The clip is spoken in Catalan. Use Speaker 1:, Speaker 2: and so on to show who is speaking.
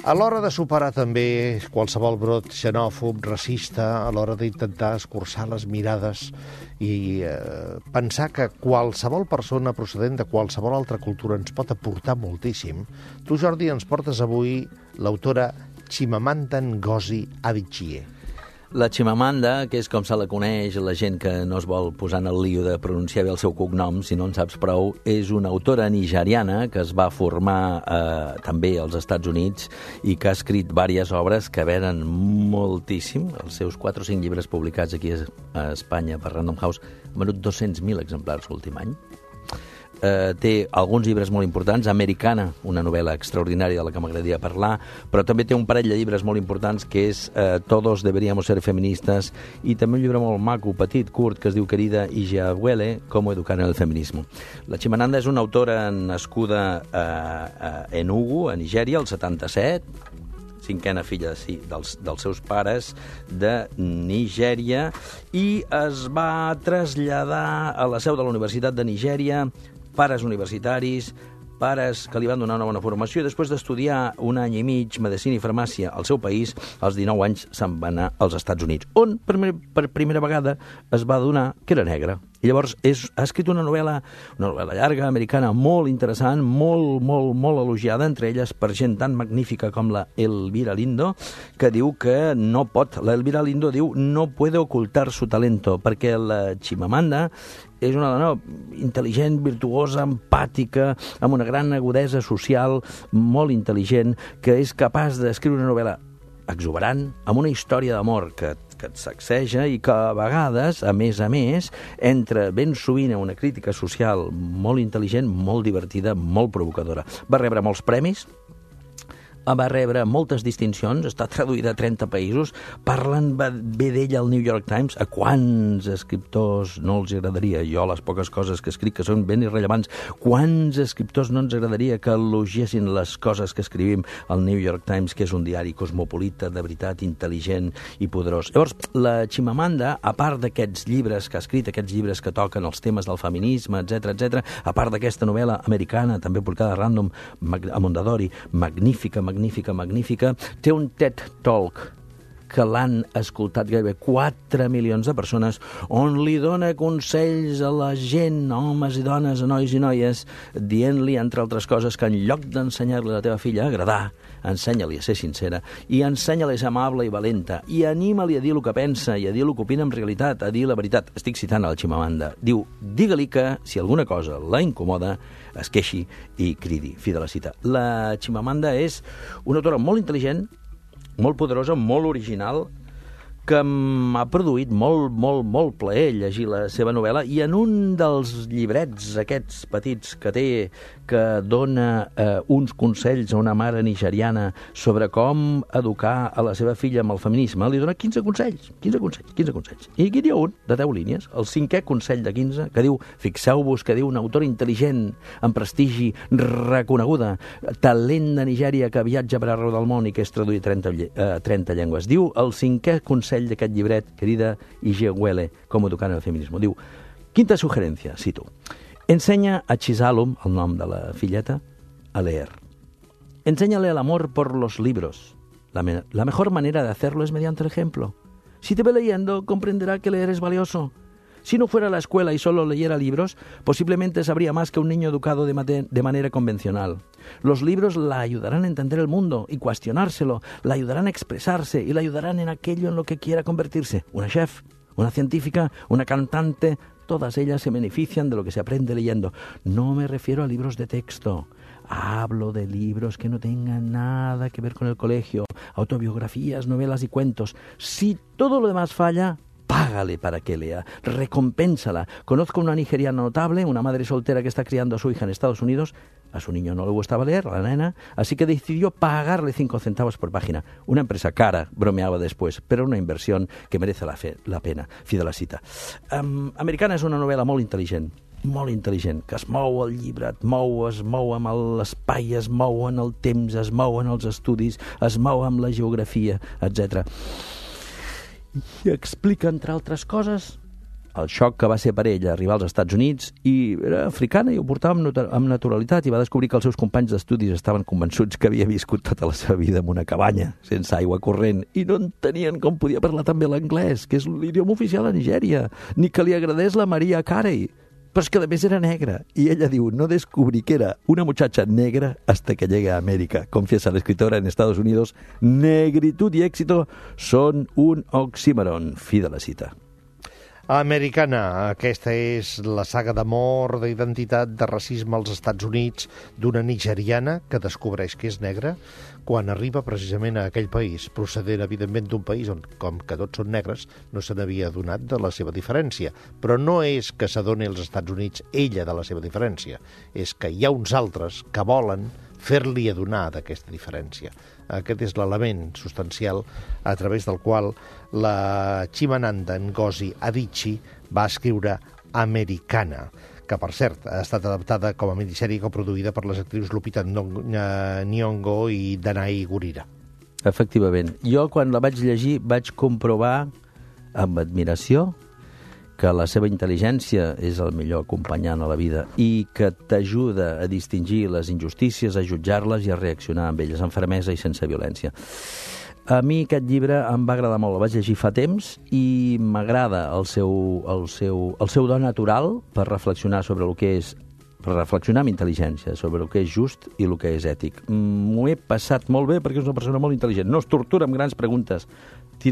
Speaker 1: A l'hora de superar també qualsevol brot xenòfob, racista, a l'hora d'intentar escurçar les mirades i pensar que qualsevol persona procedent de qualsevol altra cultura ens pot aportar moltíssim, tu, Jordi, ens portes avui l'autora Chimamanda Ngozi Adichie.
Speaker 2: La Chimamanda, que és com se la coneix la gent que no es vol posar en el lío de pronunciar bé el seu cognom, si no en saps prou, és una autora nigeriana que es va formar també als Estats Units i que ha escrit diverses obres que venen moltíssim. Els seus 4 o 5 llibres publicats aquí a Espanya per Random House han venut 200.000 exemplars l'últim any. Té alguns llibres molt importants, Americana, una novel·la extraordinària de la que m'agradaria parlar, però també té un parell de llibres molt importants que és Todos deberíamos ser feministas i també un llibre molt maco, petit, curt, que es diu Querida Ije Agüele, Cómo educar en el feminismo. La Chimamanda és una autora nascuda a Enugu, a Nigèria, el 77, cinquena filla dels seus pares de Nigèria, i es va traslladar a la seu de la Universitat de Nigèria, pares universitaris, pares que li van donar una bona formació, i després d'estudiar 1 any i mig medicina i farmàcia al seu país, als 19 anys se'n va anar als Estats Units, on per primera vegada es va adonar que era negra. I llavors ha escrit una novel·la llarga, americana, molt interessant, molt elogiada, entre elles per gent tan magnífica com la Elvira Lindo, que diu que no pot, la Elvira Lindo diu no puede ocultar su talento, perquè la Chimamanda és una dona intel·ligent, virtuosa, empàtica, amb una gran agudesa social, molt intel·ligent, que és capaç d'escriure una novel·la exuberant, amb una història d'amor que et sacseja i que a vegades, a més, entra ben sovint a una crítica social molt intel·ligent, molt divertida, molt provocadora. Va rebre molts premis, va rebre moltes distincions, està traduïda a 30 països, parlen bé d'ella al New York Times. A quants escriptors no els agradaria, jo les poques coses que escric que són ben irrellevants, quants escriptors no ens agradaria que elogiessin les coses que escrivim al New York Times, que és un diari cosmopolita, de veritat, intel·ligent i poderós. Llavors, la Chimamanda, a part d'aquests llibres que ha escrit, aquests llibres que toquen els temes del feminisme, etc., a part d'aquesta novel·la americana, també publicada a Random, a Mondadori, magnífica, té un TED Talk que l'han escoltat gairebé 4 milions de persones, on li dona consells a la gent, homes i dones, a nois i noies, dient-li, entre altres coses, que en lloc d'ensenyar-li a la teva filla a agradar, ensenya-li a ser sincera, i ensenya-li a ser amable i valenta, i anima-li a dir el que pensa, i a dir el que opina en realitat, a dir la veritat. Estic citant a la Chimamanda. Diu, digue-li que, si alguna cosa la incomoda, es queixi i cridi. Fi de la cita. La Chimamanda és una autora molt intel·ligent, molt poderosa, molt original, que m'ha produït molt plaer llegir la seva novel·la, i en un dels llibrets aquests petits que té, que dona uns consells a una mare nigeriana sobre com educar a la seva filla amb el feminisme, li dona 15 consells. I aquí hi ha un de 10 línies, el 5è consell de 15, que diu, fixeu-vos que diu una autora intel·ligent, amb prestigi, reconeguda, talent de Nigèria, que viatja per arreu del món i que és traduït a 30 llengües. Diu el 5è consell d'aquest llibret, Querida Ije Agüele, Cómo educar en el feminismo. Diu, quinta sugerencia, cito, enseña a Chisalum, el nom de la filleta, a leer. Enséñale el amor por los libros. La mejor manera de hacerlo es mediante el ejemplo. Si te ve leyendo, comprenderá que leer es valioso. Si no fuera a la escuela y solo leyera libros, posiblemente sabría más que un niño educado de manera convencional. Los libros la ayudarán a entender el mundo y cuestionárselo, la ayudarán a expresarse y la ayudarán en aquello en lo que quiera convertirse. Una chef, una científica, una cantante, todas ellas se benefician de lo que se aprende leyendo. No me refiero a libros de texto. Hablo de libros que no tengan nada que ver con el colegio, autobiografías, novelas y cuentos. Si todo lo demás falla, págale para que lea, recompénsala. Conozco una nigeriana notable, una madre soltera que está criando a su hija en Estados Unidos. A su niño no le gustaba leer, a la nena, así que decidió pagarle 5 centavos por página. Una empresa cara, bromeaba después, però una inversió que merece la pena. Fi de la cita. Americana és una novel·la molt intel·ligent, que es mou el llibre, es mou amb l'espai, es mou en el temps, es mou en els estudis, es mou amb la geografia, etc. I explica, entre altres coses, el xoc que va ser per ella arribar als Estats Units, i era africana i ho portava amb naturalitat, i va descobrir que els seus companys d'estudis estaven convençuts que havia viscut tota la seva vida en una cabanya, sense aigua corrent, i no entenien com podia parlar tan bé l'anglès, que és l'idioma oficial a Nigèria, ni que li agradés la Mariah Carey. Però és que a més era negra, y ella diu, no descubrí que era una muchacha negra hasta que llegué a América. Confiesa la escritora en Estados Unidos, negritud y éxito son un oxímoron. Fi de la cita.
Speaker 1: Americana, aquesta és la saga d'amor, d'identitat, de racisme als Estats Units d'una nigeriana que descobreix que és negra quan arriba precisament a aquell país, procedent evidentment d'un país on, com que tots són negres, no se n'havia adonat de la seva diferència. Però no és que s'adoni als Estats Units ella de la seva diferència, és que hi ha uns altres que volen fer-li adonar d'aquesta diferència. Aquest és l'element substancial a través del qual la Chimamanda Ngozi Adichie va escriure Americana, que, per cert, ha estat adaptada com a minissèrie coproduïda per les actrius Lupita Nyong'o i Danai Gurira.
Speaker 2: Efectivament. Jo, quan la vaig llegir, vaig comprovar amb admiració que la seva intel·ligència és el millor acompanyant a la vida i que t'ajuda a distingir les injustícies, a jutjar-les i a reaccionar amb elles amb fermesa i sense violència. A mi aquest llibre em va agradar molt, el vaig llegir fa temps i m'agrada el seu do natural per reflexionar sobre el que és, per reflexionar amb intel·ligència sobre el que és just i el que és ètic. M'ho he passat molt bé perquè és una persona molt intel·ligent. No es tortura amb grans preguntes,